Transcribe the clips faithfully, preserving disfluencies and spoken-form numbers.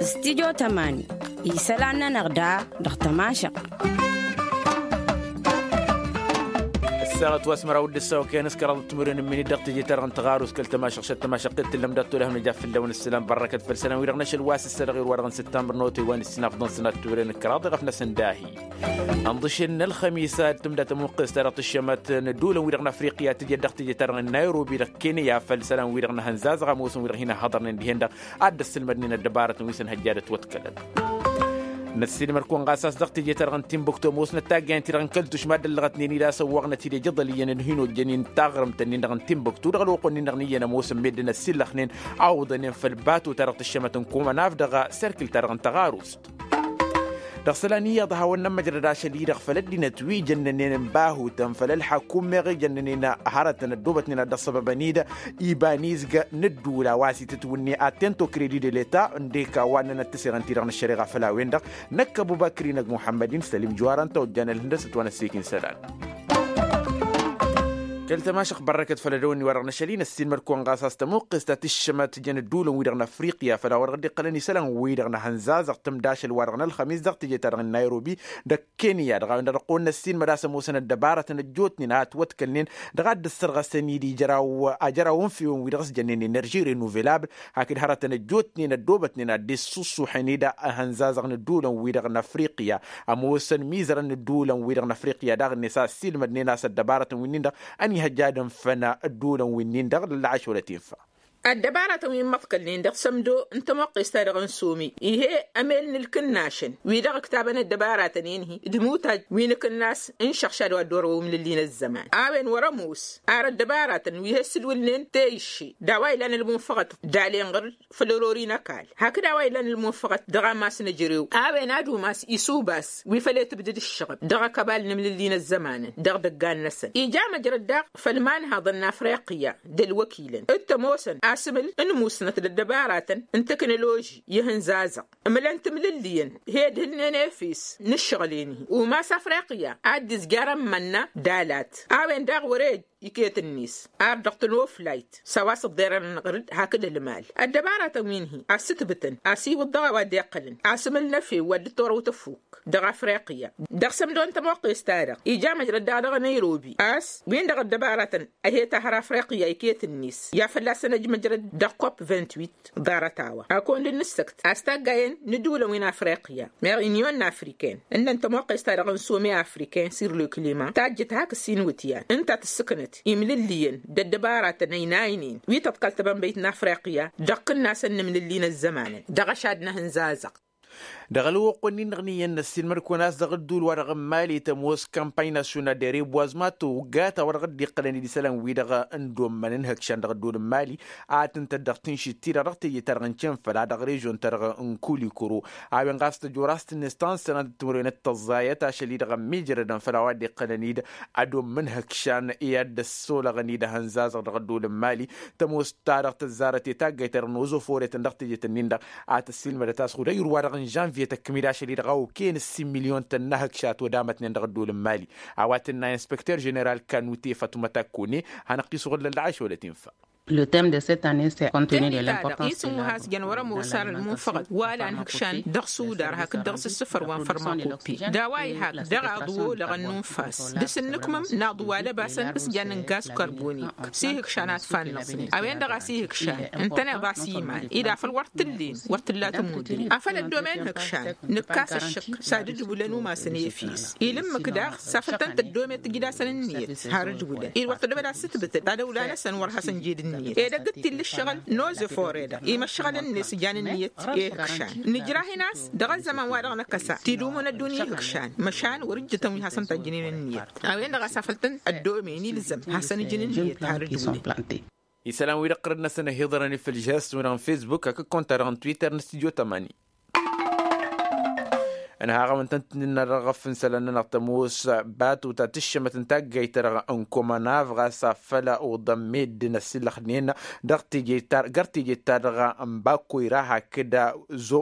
Studio tămani isălan-nănăɣ da dăɣ-tămašăɣt. Ăssaɣăt wa s-măraw d-ǝssaw kăyăn s-kăraḍ timǝrwen n-iminit dăɣ-teje-ta-dăɣ n-tăɣarus kăl-tămašăɣt šăt tămašăɣt i-tǝllăm dat-tolăhăm nǝja fălla-wen ǝssălan bărrăkăt făll-isălan-wi-dăɣ n-ašăl wa s-ǝssărăɣ i-ălwa-dăɣ n-săttămbăr n-otăy wa n-ǝssin afḍăn sănat timǝrwen n-kăraḍ iɣăf-năsăn dahi. Ănḍǝšen n-ălxămisa d-tǝmda tămuqqes-ta-dăɣ tǝššămăt n-ădduulăn-wi-dăɣ n-afriqya tǝjăt dăɣ-teje-ta-dăɣ n-nayrobi dăɣ-kenya făll-isălan-wi-dăɣ n-ehăn zazăɣ ămoosăn wi-dăɣ hin-ăhhăḍărnen dihen-dăɣ ad-dd-ăssǝlmădnen ăddăbarătăn wi s-ănhăjja d-ătwătkălăn. Năssiilmăr-kăwăn ɣas a-s dăɣ-teje-ta-dăɣ n-timbuktu ămoosnăt taggayăn-ti-dăɣ n-kăl-tušma dd-ăllăɣătnen-dd a-s ăwwăɣnăt-dd ejăḍăl iyyăn d-hin-ojjăn-in taɣrǝmt-nin-dăɣ n-timbuktu dăɣ-ălwăqq-nin-dăɣ n-iyyăn ămoosăn meddǝn ăssillăxnen awǝḍănen făll-bato-ta-dăɣ tǝššămăt n-komănaf dăɣ-serkǝl-ta-dăɣ n-tăɣarust. Dăɣ-isălan iyyăḍ a hawăn-nămmăjrăd ašăl-i-dăɣ făll-ăddinăt wi jănnănen n-bahutăn făll-ălḥakum meɣ ijănnănen hărătăn ăddoobătnen ad-dd-ăssăbăbăn-dd iba n-izg n-ǝddǝwǝl a-wa s-itǝtwǝnne attento credit de leta ǝndek a-wa ǝnnănăt tǝserăn-ti-dăɣ n-ăššăreɣa făll-a-wen-dăɣ. Năkk ăbubăkri n-ăgg muḥămmăd-in sălim juwarăn ta ojjan ălhǝndăsăt wa n-ăssiik n-isălan. Kăl-tămašăɣt bărrăkăt făll-ădăwănni-wa-dăɣ n-ašăl-i năssiilmăd-kăwăn ɣas a-s tămuqqes ta tǝššămăt jăn ǝddǝwǝlăn-wi-dăɣ n-afriqya făll-a-wa dăɣ-dd-iqqălăn isălan-wi-dăɣ n-ehăn zazăɣ tǝmda ašăl-wa-dăɣ n-ălxămis dăɣ-teje-ta-dăɣ n-nayrobi dăɣ-kenya dăɣ-a-wen-dăɣ dăɣ-kăwăn-năssiilmăd a-s ămoosăn ăddăbarătăn ăjjootnen a ătwătkălnen dăɣ-a dd-ǝssărɣăsăn-dd ijraw ajăraw n-fiwen-wi-dăɣ s-jănnen enerži renovelabl. Hakd hărătăn ăjjootnen ăddoobătnen ad-dd-issǝṣṣuḥen-dd ehăn zazăɣ n-ǝddǝwǝlăn-wi-dăɣ n-afriqya ămoosăn mizărăn n-ǝddǝwǝlăn-wi-dăɣ n-afriqya daɣ-net a ăssiilmădnen a-s ăddăbarătăn wi-nin-dăɣ ănihăjja ad-ǝnfăn ǝddǝwǝlăn wi-nin-dăɣ lălɣašolăt infa. Ăddăbarătăn wi n-imăḍkălnen dăɣ-sămdo n-tămoqqes-ta-dăɣ n-somi ih'-e ămel n-ǝlkǝnnašăn wi-dăɣ ǝktabăn ăddăbarătăn-en-hi d-imutaj wi n-akǝnnas n-išăɣšad wa dd-orăwăn imlǝlli n-ăzzăman a-wen wăr-ămoos ar ăddăbarătăn wi he-ǝssǝlwǝlnen teyǝšše d-a-wa ilan ălmunfăɣăt d-alen ɣǝr-dd făll-ărori n-ăkall hakd a-wa ilan ălmunfăɣăt dăɣ-amas n-ejărew. A-wen ad-umas isuba a-s wi făl i-tǝbdǝd ǝššăɣăb dăɣ-akăbal n-imlǝlli n-ăzzămanăn dăɣ-idăggan-năsăn ija măjrăd daɣ făll-imanhaḍăn n-afriqya d-ălwăkilăn d-tămoosăn asǝmǝl n-musnăt d-ăddăbaratăn n-teknoloži i-ihǝnzazăɣ ǝmlăn timlǝlliyăn he-dd-hǝlnen efes n-ǝššăɣǝl-en-hi umas afriqya ad-dd-izjarăn imănna d-alat. A-wen daɣ wăr-e iket-net ar dăɣ-tănoflayt s-a-wa s-ǝḍḍerăn ănɣăr-dd hakd ălmal ăddăbaratăn wi n-hi a ǝssǝtbǝtăn a-s iwǝḍ dăɣ-a-wa dd-iqqălăn asǝmǝl n-efew wa dd-torow tăfuk dăɣ-afriqya. Dăɣ-sămdo n-tămoqqes-ta-dăɣ ija măjrăd daɣ dăɣ-năyrobi a-s win-dăɣ ăddăbaratăn a he-tahăr afriqya iket-net i-ad-fălla-săn ăj măjrăd dăɣ-kop vingt-huit. Ḍarăt-a-wa a kăwăn-dd-nǝssăkt a-s taggayen n-ǝddǝwǝlăn wi n-afriqya meɣ inyon n-afriken ǝnnăn tămoqqes-ta-dăɣ n-some afriken sur le clima tajjǝt hak ǝssin iwǝtyan ǝnta tǝssǝknăt imlǝlliyăn d-ăddăbaratăn ăynaynen wi tăḍkăl tăbănbăyt n-afriqya dăɣ-kǝnnasăn n-imlǝlli n-ăzzămanăn dăɣ-ăšad n-ehǝnzazăɣ. Dăɣ-ălwăqq-wen-in-dăɣ n-iyyăn năssiilmăd-kăwăn a-s dăɣ-ǝddul-wa-dăɣ n-mali tămoos kampany nasyonal de reboisement togga ta-wa-dăɣ dd-iqqălăn-dd isălan-wi-dăɣ n-dd-ommăn n-ihǝkšan dăɣ-ăddul n-mali a tǝntăt dăɣ-tǝnšit-ti-dăɣ dăɣ-teje-ta-dăɣ n-cenfăl a dăɣ-režion-ta-dăɣ n-kulikuro. A-wen ɣas tăjor a-s tǝnnes ta n-sănatăt timǝrwen d-tăẓẓayăt ašăl-i-dăɣ ămmiijrădăn făll-a-wa dd-iqqălăn-dd ad-ommăn ihǝkšan i-ad-dd-ăssolăɣăn-dd ehăn zazăɣ dăɣ-ăddul n-mali. Tămoos ta dăɣ-tăzzarăt i-taggayt-ta-dăɣ n-ozoforetăn dăɣ-tejet-ǝnnin-dăɣ a tăssiilmădăt a-s ɣud ăyr-wa-dăɣ n-žănvye tăkkǝm-dd ašăl-i-dăɣ a okăyăn ǝssin milyon tănna ihǝkšat odamătnen dăɣ-ăddul n-mali. A-wa tǝnna inspekter ženeral kanute fătumăt akkune. Hanăɣ-t-isuɣǝl lălla ašolăt infa. Tămmi-ta-dăɣ isǝm wa has-jăn wăr-ămoos ar ălmunfăɣăt wa lan ihǝkšan dăɣ-sudar hakd dăɣ-s ǝssǝfăr wa n-fărmakopi d-a-wa ihak dăɣ-aḍu olăɣăn n-unfas d-asǝnnǝkmǝm n-aḍu wa lăbasăn s-jan n-gaz karboni s-ihǝkšan ad-fannăẓnen a-wen-dăɣ a-s ihǝkšan ǝntăneḍ a-s iman-dd afăl wăr t-ǝllen wăr t-ǝlla tămudre afăl ăddomen ihǝkšan. Nǝkkas ăššǝk s-ad-ǝdwǝlăn umasăn efes ilǝmmǝk daɣ s-afăl tăn-tăddome tǝjǝd-asăn ǝnniyăt har ǝdwǝlăn-dd wăr tăddome ad-sǝtbǝtăd ad-ăwla-năsăn wăr hasăn-jed ǝnniyăt. Edăgg-dd tillǝššăɣǝl n-ozefore-dăɣ imăššăɣǝl-net s-jan ǝnniyăt i-ihǝkšan nǝjrah-in a-s dăɣ-ăzzăman wa dăɣ-năkkăsa tidumun ăddunya ihǝkšan măšan wăr-ǝjjǝtăn wi hasăn-tajjǝnen ǝnniyăt. A-wen-dăɣ a-s afăl tăn-ăddomen ilzăm hasăn-ǝjǝn ǝnniyăt har ǝdwǝlăn. Isălan-wi-dăɣ ɣărăd-năsăn ăhiḍărăn-in făll-žihăs-wen dăɣ-n fesbuk hakd konta-dăɣ n-twitter n-studio tămani. Ănhaɣăm ǝntăn-tǝnnǝnna dăɣ-ăɣăf n-isălan-nănăɣ tămoos batu ta tǝššămăt n-taggayt-ta-dăɣ n-komănaf ɣas afăl oḍăn meddǝn ăssillăxnen dăɣ-teje-ta-dăɣ n-bakkoyra hakd zo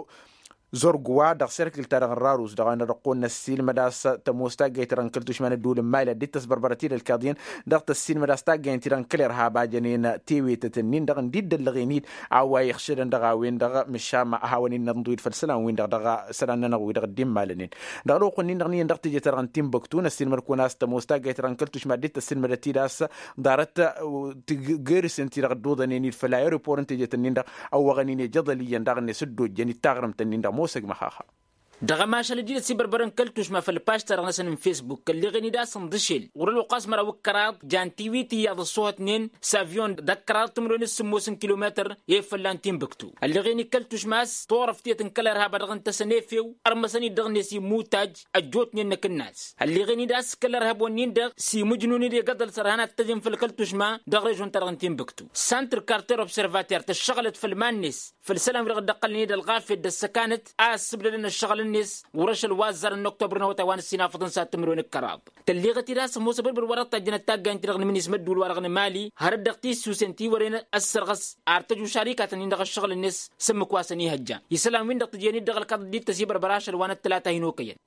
Zărgwa dăɣ-serkǝl-ta-dăɣ n-rarus dăɣ-a-wen-dăɣ dăɣ-kăwăn-năssiilmăd a-s tămoos taggayt-ta-dăɣ n-kăl-tušma n-ădduul n-mali ad-dd-tăsbărbărăt-dd ălkaḍiyăn dăɣ-tăssiilmăd a-s taggayăn-ti-dăɣ n-kăl-irhab a jănen tewetăt-nin-dăɣ ǝndi dd-ăllăɣen-dd a-wa iɣšădăn dăɣ-a-wen-dăɣ. Măšan a hawăn-in-nănḍǝw-dd făll-isălan-win-dăɣ dăɣ-isălan-nănăɣ wi-dăɣ dd-immalănen dăɣ-ălwăqq-nin-dăɣ n-iyyăn dăɣ-teje-ta-dăɣ n-tinbăktu năssiilmăd-kăwăn a-s tămoos taggayt-ta-dăɣ n-kăl-tušma ad-dd-tăssiilmădăt-dd a-s ḍarăt tigăr-s ǝnti-dăɣ dd-oḍănen-dd făll-aeropor n-tejet-nin-dăɣ ăwwăɣăn-in ejăḍăl iyyăn daɣ-net dd-ojjăn-dd taɣrǝmt-nin-dăɣ mosăg măxaxa. Dăɣ-ămašal dd-inăsibărbărăn kăl-tušma făll-pažt-ta-dăɣ-năsăn n-fesbuk ălleɣen-dd a-s ǝnḍǝšel ɣur-ălwăqq a-s măraw d-kăraḍ jan tiwit iyyăḍ ăṣṣuhătnen s-avyon d-ăkkăraḍ timǝrwen d-sǝmmos n-kilometăr i-fălla n-tinbǝktu. Ălleɣen-dd kăl-tušma a-s turăft tiyăt n-kăl-ărhab a dăɣ-ǝntăsăn efew ărmăsăn-dd dăɣ-net imutaj ăjjootnen n-akǝnnas. Ălleɣen-dd a-s kăl-ărhab-wen-nin-dăɣ s-imǝjnun-dd egăḍăl s-ărhan ad-t-ăjǝn făll-kăl-tušma dăɣ-režon-ta-dăɣ n-tinbǝktu. Santr karter observater tăššăɣǝlăt făll-iman-net făll-isălan wi-dăɣ dd-ăqqălnen-dd ălɣafyăt d-ăssăkanăt a ăssǝbdădăn ăššăɣǝl-net ɣur-ašăl wa ăzzarăn n-oktobrăn awătay wa n-ǝssin afăḍăn s-ad-tǝmǝrwen d-kăraḍ. Tălleɣăt-dd a-s ămoos abărbăr wa dăɣ-tajjănăt taggayen-ti-dăɣ n-imǝnis mădduul-wa-dăɣ n-emali hărăt dăɣ-tissusen ti wărăn ăssărɣăs ar tăju šarikatăn-in-dăɣ ăššăɣǝl-net s-ǝmmǝk wa săn-ihăjja isălan-win-dăɣ tǝjjen-dd dăɣ-ălkaḍăt dd-tăsibărbăr ašăl wa n-ăttălata hin-okăyăn.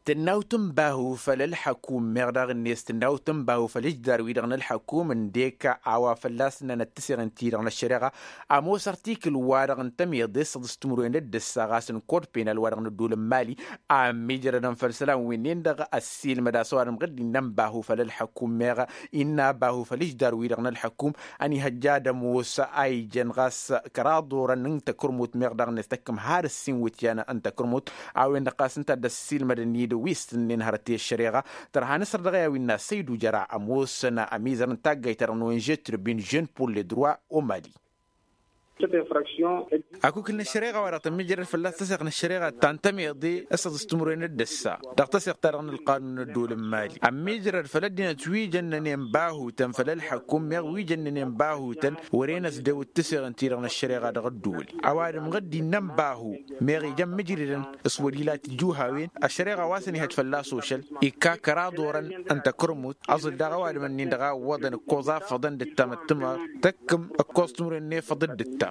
Tǝnnawt n-bahu făll-ălḥăkum meɣ daɣ-net tǝnnawt n-bahu făll-ǝjdar-wi-dăɣ n-ălḥăkum ǝndek a-wa fălla-s ǝnnanăt tǝseɣ n-ti-dăɣ n-ăššăreɣa. Ămoos ărtikǝl-wa-dăɣ n-tămiḍe s-ăḍǝs timǝrwen d-ǝssa ɣas n-kod penal-wa-dăɣ n-ădduul n-mali a ămmiijrădăn făll-isălan-win-dăɣ ăssiilmăd a-s ăwadǝm ɣǝdd innă n-bahu făll-ălḥăkum meɣ innă bahu făll-ǝjdar-wi-dăɣ n-ălḥăkum. Ănihăjja ad-ămoos a ijăn ɣas kăraḍ orăn n-takărmut meɣ daɣ-net tăkkăm har ǝssin wǝtyan n-takărmut a-wen-dăɣ ɣas ǝnta a dd-ăssiilmădăn-dd wi s-tǝnnen hărăt i-ăššăreɣa. Tărha nǝsăr dăɣ-i a-wen n-asăydu jăra ămoosăn ămizăr n-taggayt-ta-dăɣ n-onže tribin jeune pour le droit au mali. Akukǝl n-ăššăreɣa wa dăɣ-tămmijrăd fălla-s tăseɣt n-ăššăreɣa ta n-tămiḍe s-ăḍǝs timǝrwen d-ǝssa dăɣ-tăseɣt-ta-dăɣ n-ălqanun n-ădduul n-mali ămmiijrăd făll-ăddinăt wi jănnănen bahutăn făll-ălḥăkum meɣ wi jănnănen bahutăn. Wăren ăsdewǝt tǝseɣ ǝnta-dăɣ n-ăššăreɣa dăɣ-ădduul ăwadǝm ɣǝdd innă n-bahu meɣ ija ămmijridăn s-wăr-ila tijuhawen. Ăššăreɣa wa săn-ihăj fălla-s ošăl ikka kăraḍ orăn n-takărmut. Aẓǝl daɣ ăwadǝm-ǝnnin-dăɣ a ǝwwăḍăn ǝkkoẓ afăḍăn d-ǝttam ăttămăr tăkkǝm ǝkkoẓ timǝrwen n-efăḍ d-ǝttam.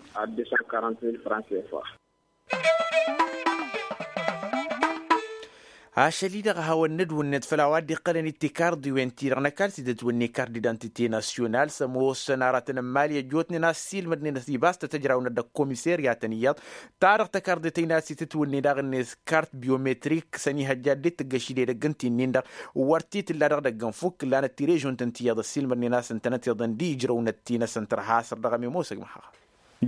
Ašăl-i-dăɣ a hawăn-nǝdwǝnnet făll-a-wa dd-iqqălăn-dd tikarḍiwen-ti-dăɣ n-ăkall s-dd-ătwǝnne kart d-idantite nasyonal s-ămoosăn aratăn n-imali ăjjootnen a ăssiilmădnen ăsibas tăt-ăjrawnăt dăɣ-komiseryatăn iyyăḍ. Ta dăɣ-tăkarḍe tăynat s-itǝtwǝnne daɣ-net kart biometrik s-ănihăjja dd-tǝggăšid edăgg ǝnta-innin-dăɣ wăr t-tǝlla dăɣ-idăgg ănfuk ǝllanăt tirežunt ǝnta iyyăḍ ăssiilmădnen a-s ǝntănăt iyyăḍ ăndi ijrăwnăt-ti-năsăn tărha săr dăɣ-ămimosăg măxax.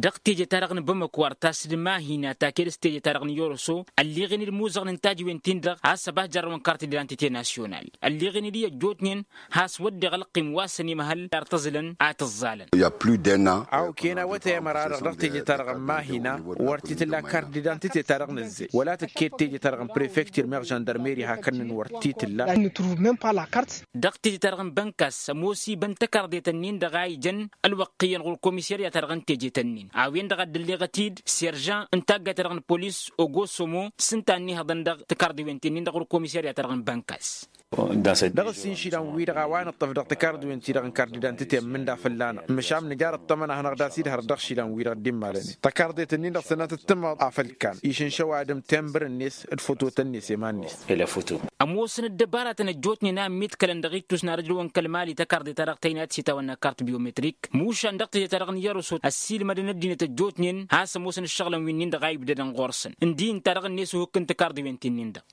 Dăɣ-teje-ta-dăɣ n-bamăko ar tasǝd mahina ta ked s-teje-ta-dăɣ n-yoroso ălleɣen-dd imuzăɣăn n-tajǝwen-tin-dăɣ a-s ăba jarrăwăn kart d-idantite nasyonal. Ălleɣen-dd i-ăjjootnen has-wădden ălqim wa săn imhăl ar t-ăẓlăn a t-ăẓẓalăn. Awken awătay ămăra-dăɣ dăɣ-teje-ta-dăɣ n-mahina wăr t-tǝlla kart d-idantite-ta-dăɣ n-ăzzey wăla tǝkked teje-ta-dăɣ n-prefektir meɣ žăndarmeri hakd-năn wăr t-tǝlla. Dăɣ-teje-ta-dăɣ n-bănkas ămoos ibăn tăkarḍet-ǝnnin-dăɣ a ijăn ălwăqq iyyăn ɣur-komisirya-ta-dăɣ n-tejet-ǝnnin a-wen-dăɣ a dd-ǝlleɣăt-dd serjan n-taggayt-ta-dăɣ n-polis ogosomo s-ǝnta a ǝnnihăḍăn dăɣ-tăkarḍiwen-ti-nin-dăɣ ɣur-komisirya-ta-dăɣ n-bănkas. Dăɣ-ǝssin išilan-wi-dăɣ a-wa nǝṭṭăf dăɣ-tăkarḍiwen-ti-dăɣ n-kardidantǝte ǝmmǝnda fălla-năɣ măšan nǝjar ăṭṭămăn a hanăɣ-dd-asidhărăt dăɣ-išilan-wi-dăɣ dd-immalănen tăkarḍet-ǝnnin-dăɣ sănnatăt tǝmmaḍ afăl kan išǝnša ăwadǝm tembăr-net d-fototăn-net i-iman-net. Ămoosăn ăddăbaratăn ăjjootnen a ămmiḍkălăn dăɣ-ittus n-ad-ăjrăwăn kăl-mali tăkarḍe-ta-dăɣ tăynayăt s-itawănna kart biometrik mušan dăɣ-teje-ta-dăɣ n-iyăruso ăssiilmădăn ăddinăt ăjjootnen has-ămoosăn ǝššăɣǝlăn wi-nin-dăɣ a ibdădăn ɣur-săn ǝndin ta-dăɣ-net uhǝk n-tikarḍiwen-ti-nin-dăɣ.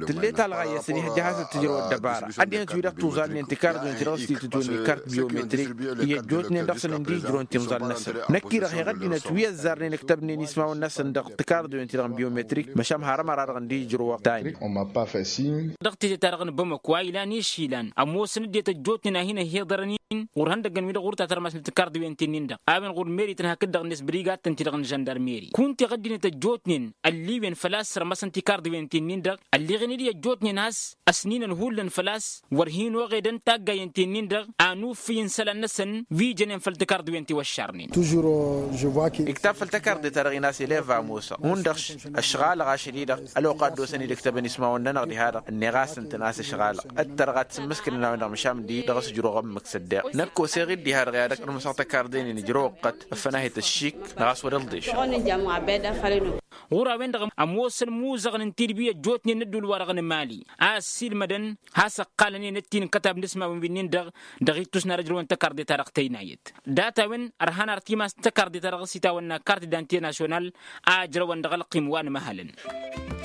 Tǝllet alɣayăs ănihăjja hasăt-tǝjrăw ăddăbara ăddinăt-wi-dăɣ tuẓalnen tikarḍiwen-ti-dăɣ s-titǝtwǝnne kart biometrik i-ăjjootnen dăɣ-săn ǝndi-ijrăwăn timẓal-năsăn. Năkk-i-dăɣ heɣ ăddinăt wi ăzzarnen ǝktăbnen ismawăn-năsăn dăɣ-tikarḍiwen-ti-dăɣ n-biometrik măšan har ămăra-dăɣ ǝndi-ijrăwăn tani. Dăɣ-teje-ta-dăɣ n-bamăko a ilan išilan ămoosăn ăddinăt ăjjootnen a hin-ăhhiḍărăn-in ɣur-ihăndăggăn-wi-dăɣ ɣur-tatărmasnăt tikarḍiwen-ti-nin-dăɣ a-wen ɣur-merităn hakd-dăɣ-net brigadtăn-ti-dăɣ n-žăndarmeri kunta iɣăddinăt ăjjootnen ălliwen făl-a-s sărmăsăn tikarḍiwen-ti-nin-dăɣ ălleɣen-dd i-ăjjootnen a-s ăsninăn hullan făl-a-s wăr hin-oɣedăn taggayen-ti-nin-dăɣ a n-uffǝy n-isălan-năsăn wi jănen făll-tikarḍiwen ti wăššarnen. Iktab făll-tăkarḍe-ta-dăɣ-in a-s eleva ămoosăɣ hundăɣ ăšɣalăɣ ašăl-i-dăɣ ălwăqq a dd-osăn-dd-ǝktăbăn ismawăn-nănăɣ diha-dăɣ ǝnneɣ-asǝntăn a-s ăšɣalăɣ ǝttărăɣ ad-t-sǝmmǝskǝlăn a-wen-dăɣ măšan d-i dăɣ-s ǝjrăwăɣ ǝmmǝk s-ăddeɣ năkk oseɣ-dd diha-dăɣ i-ad-ăknămsăɣ tăkarḍe-nin ǝjrăwăɣ-tăt ăffănahet ăššik. Dăɣ-a-s wăr-ălḍešăɣ. Ɣur-a-wen-dăɣ ămoosăn imuzăɣăn n-tidbi ăjjootnen n-ădduul-wa-dăɣ n-imali a ăssiilmădăn has-ăqqalăn enăt-in n-kătab n-asmawen wi-nin-dăɣ dăɣ-ittus n-ad-ăjrăwăn tăkarḍe-ta-dăɣ tăynayăt. Dat-a-wen ărhan ar timas n-tăkarḍe-ta-dăɣ s-itawănna kart dante nasyonal a ăjrăwăn dăɣ-ălqim wa n-imăhălăn.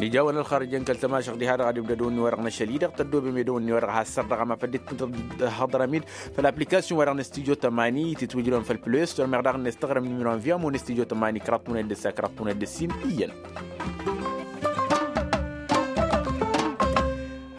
Ijawăn ălxărjăn kăl-tămašăɣ diha-dăɣ ad-ibdădăwăn-wi-wa-dăɣ n-ašăl-i-dăɣ tăddoobem edăwăn-wi-wa-dăɣ has-săr dăɣ-amaf ăddinăt n-hăḍrămid făll-aplikasyon-wa-dăɣ n-studyo tămani titwǝjrăwăn făll-play store meɣ daɣ-net tăɣrǝm nimiro n-via mo n-studyo tămani kăraḍ tunăt d-ǝssa kăraḍ tunăt d-ǝssin iyyăn.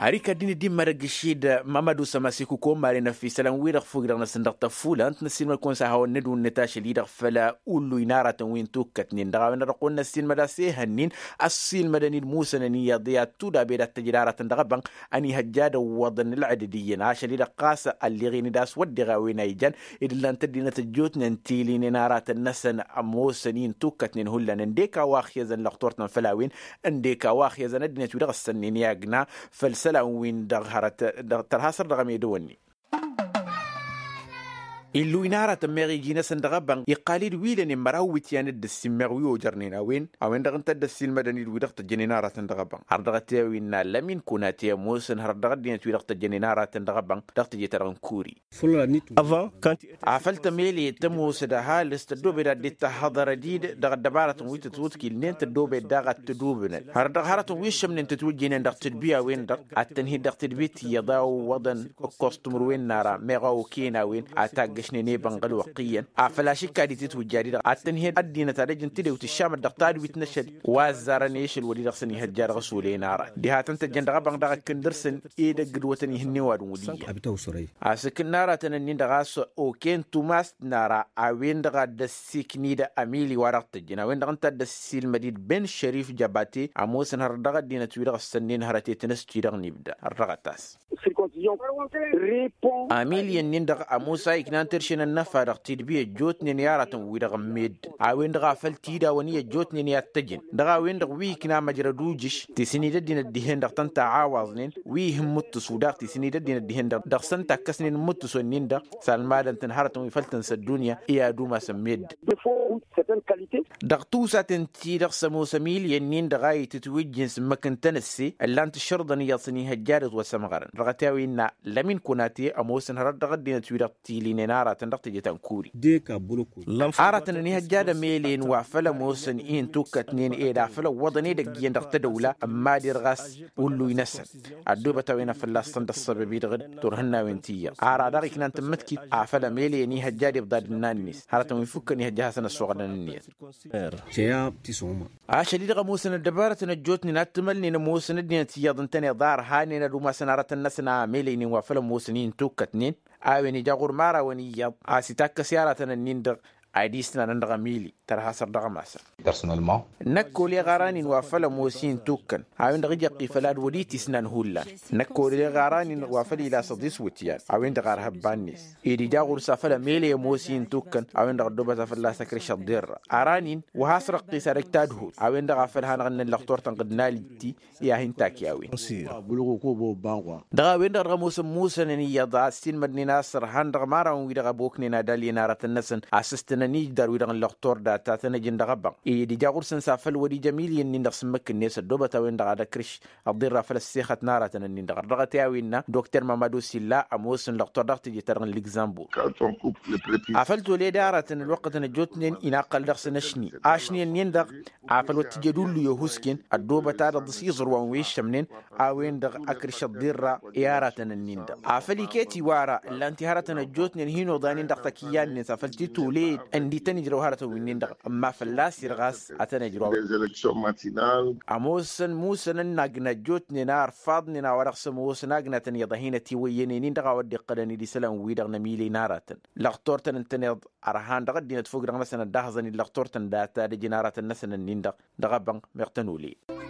Har ikad-din dd-imma dăgg-išid mămădu sămasiku kăwăn maren ăfisălăn-wi-dăɣ fog-dăɣ-năsăn dăɣ-tăfulănt n-ăssiilmăd-kăwăn s-ad-hawăn-nǝdǝw n-net ašăl-i-dăɣ făll-ulluy n-aratăn wi n-tukkătnen dăɣ-a-wen-dăɣ dăɣ-kăwăn-năssiilmăd a-s ehăn-in ăssiilmădăn-dd musănăn iyyăḍ i-ad-tudabed ad-t-ăj d-aratăn dăɣ-ebănɣ ănihăjja ad-ăwwăḍăn ǝlɣǝdǝd iyyăn ašăl-i-dăɣ ɣas ălleɣen-dd a-s wădden a-wen a ijan ed ǝllan-t ăddinăt ăjjootnen tilinen aratăn-năsăn ămoosăn-i n-tukkătnen hullan ǝndek a-wa ăxyăzăn lăxtur-tăn făll-a-wen ǝndek a-wa ăxyăzăn ăddinăt wi dăɣ-ǝssănnen i-agna făll-isălan-win-dăɣ hărăt dăɣ-tărha săr dăɣ-emedăwănnen. Illuy n-aratăn meɣ iji-năsăn dăɣ-ebănɣ iqqal-dd wi lănen măraw iwǝtyan d-ǝssin meɣ wi ojărnen a-wen a-wen-dăɣ ǝnta a dd-ăssiilmădăn-dd wi-dăɣ tăjjănen aratăn dăɣ-ebănɣ har dăɣ-t i-a-wen innă lămin kunate ămoosăn hărăt dăɣ-ăddinăt wi-dăɣ tăjjănen aratăn dăɣ-ebănɣ dăɣ-teje-ta-dăɣ n-kuri. Afăl tămele tămoosăd ăhalǝs tăddoobed ad-dd-tahhăḍărăd-dd dăɣ-ăddăbarătăn wi tătwǝḍkǝlnen tăddoobed daɣ ad-tădubǝnăd hărăt dăɣ-hărătăn wi ǝššămnen tătwǝjjăynen dăɣ-tǝdbi a-wen-dăɣ ad-tăn-hi-dd dăɣ-tǝdbi tiyyăḍ a ăwwăḍăn ǝkkoẓ timǝrwen n-ara meɣ a okăyăn a-wen a taggăšnen i-bănɣăl wăqq iyyăn afăl ašǝkka d-itǝtwǝjja-di-dăɣ ad-tăn-hi-dd ăddinăt ad-ăj n-tedewt ǝššamăt dăɣ-tadwit n-ašăl wa ăzzarăn i-ašăl wăr-i-dăɣ s-ănihăjja dăɣ-s olăyăn arat diha tăn-tăjjăn dăɣ-ebănɣ daɣ ăkk ǝndăr-săn edăgg d-wătăn ihǝnne wa dăɣ-wăr-i iyyăn. Asǝkǝn n-aratăn-ǝnnin-dăɣ a-s okăyăn tumast n-ara a-wen-dăɣ a dd-ăssiknid amili wa dăɣ-tăjjăn a-wen-dăɣ ǝnta a dd-ăssiilmăd-dd ben šărif jăbate ămoosăn hărăt dăɣ-ăddinăt-wi-dăɣ ǝssănnen hărăt i-tinǝst-i-dăɣ n-ibda ărrăɣăt-as. Amili-ǝnnin-dăɣ ămoos a iknan terše n-ănnăfa dăɣ-tidbi ăjjootnen i-aratăn-wi-dăɣ n-meddǝn a-wen-dăɣ a făl tidawăn-i ăjjootnen i-ad-tăjǝn dăɣ-a-wen-dăɣ wi ikna măjrăd ujǝš ti s-in-dd-ăddinăt dihen-dăɣ tăn-taɣawăẓnen wi ihǝmmǝttǝsu daɣ ti s-in-dd-ăddinăt dihen-dăɣ dăɣ-săn takkăsnen n-imǝttǝsu-nin-dăɣ s-almadăn-tăn hărătăn wi făl tǝnsa ăddunya i-ad-umasăn meddǝn. Dăɣ-tusaten-ti-dăɣ s-ămoos ămiliyăn-nin-dăɣ a itǝtwǝjjǝn s-ǝmmǝk n-tenăsse ǝllan-t ǝššărǝḍăn iyyăḍ s-ănihăjja ad-ǝtwăsămɣărăn dăɣ-t i-a-wen innă lămin kunate ămoosăn hărăt dăɣ-ăddinăt-wi-dăɣ tilinen aratăn dăɣ-teje-ta n-kuri. Aratăn ănihăjja ad-ămelen wa făl ămoosăn-i n-tukkătnen ed afăl ăwwăḍăn edăgg iyyăn dăɣ-tădăwla ămmader ɣas ulluy-năsăn ăddoobăt a-wen a fălla-săn dăɣ-săbăb-i-dăɣ d-turhǝnnawen ti iyyăḍ ara daɣ iknan tǝmmǝtkit afăl ămele ănihăjja ad-ibḍad ǝnna-net hărătăn wi n-fukkăn ihăjja a hasăn-ăssoɣălăn ǝnniyăt. Ašăl-i-dăɣ ămoosăn ăddăbarătăn ăjjootnen ad-t-ămălnen ămoosăn ăddinăt iyyăḍ ǝntăneḍ a ărhanen ad-umasăn aratăn-năsăn a ămelăynen wa făl ămoosăn-i n-tukkătnen a-wen ija ɣur-imărawăn iyyăḍ a-s itakkăs i-aratăn-ǝnnin-dăɣ ad-isnanăn dăɣ-emili tărha săr dăɣ-ămasăn. Năkk oleɣ aran-in wa făl ămoos-i n-tukkăn a-wen-dăɣ ija ăqqi făll-ad-wăr-i tisnan hullan. Năkk oleɣ aran-in wa făl ilasăḍ iswǝtyan a-wen-dăɣ arhăbba-net ed ija ɣur-s afăl ămele ămoos-i n-tukkăn a-wen-dăɣ ăddoobăt a fălla-s ăkrǝš ăḍḍerra aran-in wa has-răqqis ad-ăj tadhut a-wen-dăɣ afăl hanăɣ-ǝnnăn lăxtur-tăn ɣǝd n-alǝtti i-ad-hin-takyawen. Dăɣ-a-wen-dăɣ dăɣ-ămoosăn musănăn iyyăḍ a ăssiilmădnen a-s ărhan dăɣ-imărawăn-wi-dăɣ ăboknen ad-alyen aratăn-năsăn a sǝstǝnăn ijdar-wi-dăɣ n-lăxtur data tăn-ăjǝn dăɣ-ebănɣ ed ija ɣur-săn s-afăl wăr-ija miliyăn-nin-dăɣ s-ǝmmǝk-net ăddoobăt a-wen-dăɣ ad-ăkrǝš ăḍirra făll-ăssexăt n-aratăn-nin-dăɣ ărrăɣăt i-a-wen innă dokter mamadu silla ămoosăn lăxtur dăɣ-teje-ta-dăɣ n-ligzambur. Afăl toled aratăn ălwăqqătăn ăjjootnen inaqqăl dăɣ-săn ăšni ašni-ǝnnin-dăɣ afăl wăr t-ija d-ullu i-ohusken ăddoobăt ad-ăḍḍǝs iẓrǝwăn wi ǝššămnen a-wen-dăɣ ăkrǝš ăḍḍirra i-aratăn-ǝnnin-dăɣ afăl iket iwara ǝllan-t i-hărătăn ăjjootnen hin-oḍanen dăɣ-takǝyya-net afăl t-toled ǝndi tăn-ijrăw hărătăn wi-nin-dăɣ ămma fălla-s irɣas ad-tăn-ijrăw. Ămoosăn musănăn n-agna ăjjootnen a ărfaḍnen a-wa dăɣ-s ămoosăn agnatăn iyyăḍ a hin-ătiwăyyănen-in-dăɣ a-wa dd-iqqălăn-dd isălan-wi-dăɣ n-emile n-aratăn lăxtur-tăn ǝntăneḍ ărhan dăɣ-ăddinăt fog-dăɣ-năsăn ăddaxăẓăn-dd lăxtur-tăn data ad-ăjǝn aratăn-năsăn-ǝnnin-dăɣ dăɣ-ebănɣ meɣ tăn-olăyăn.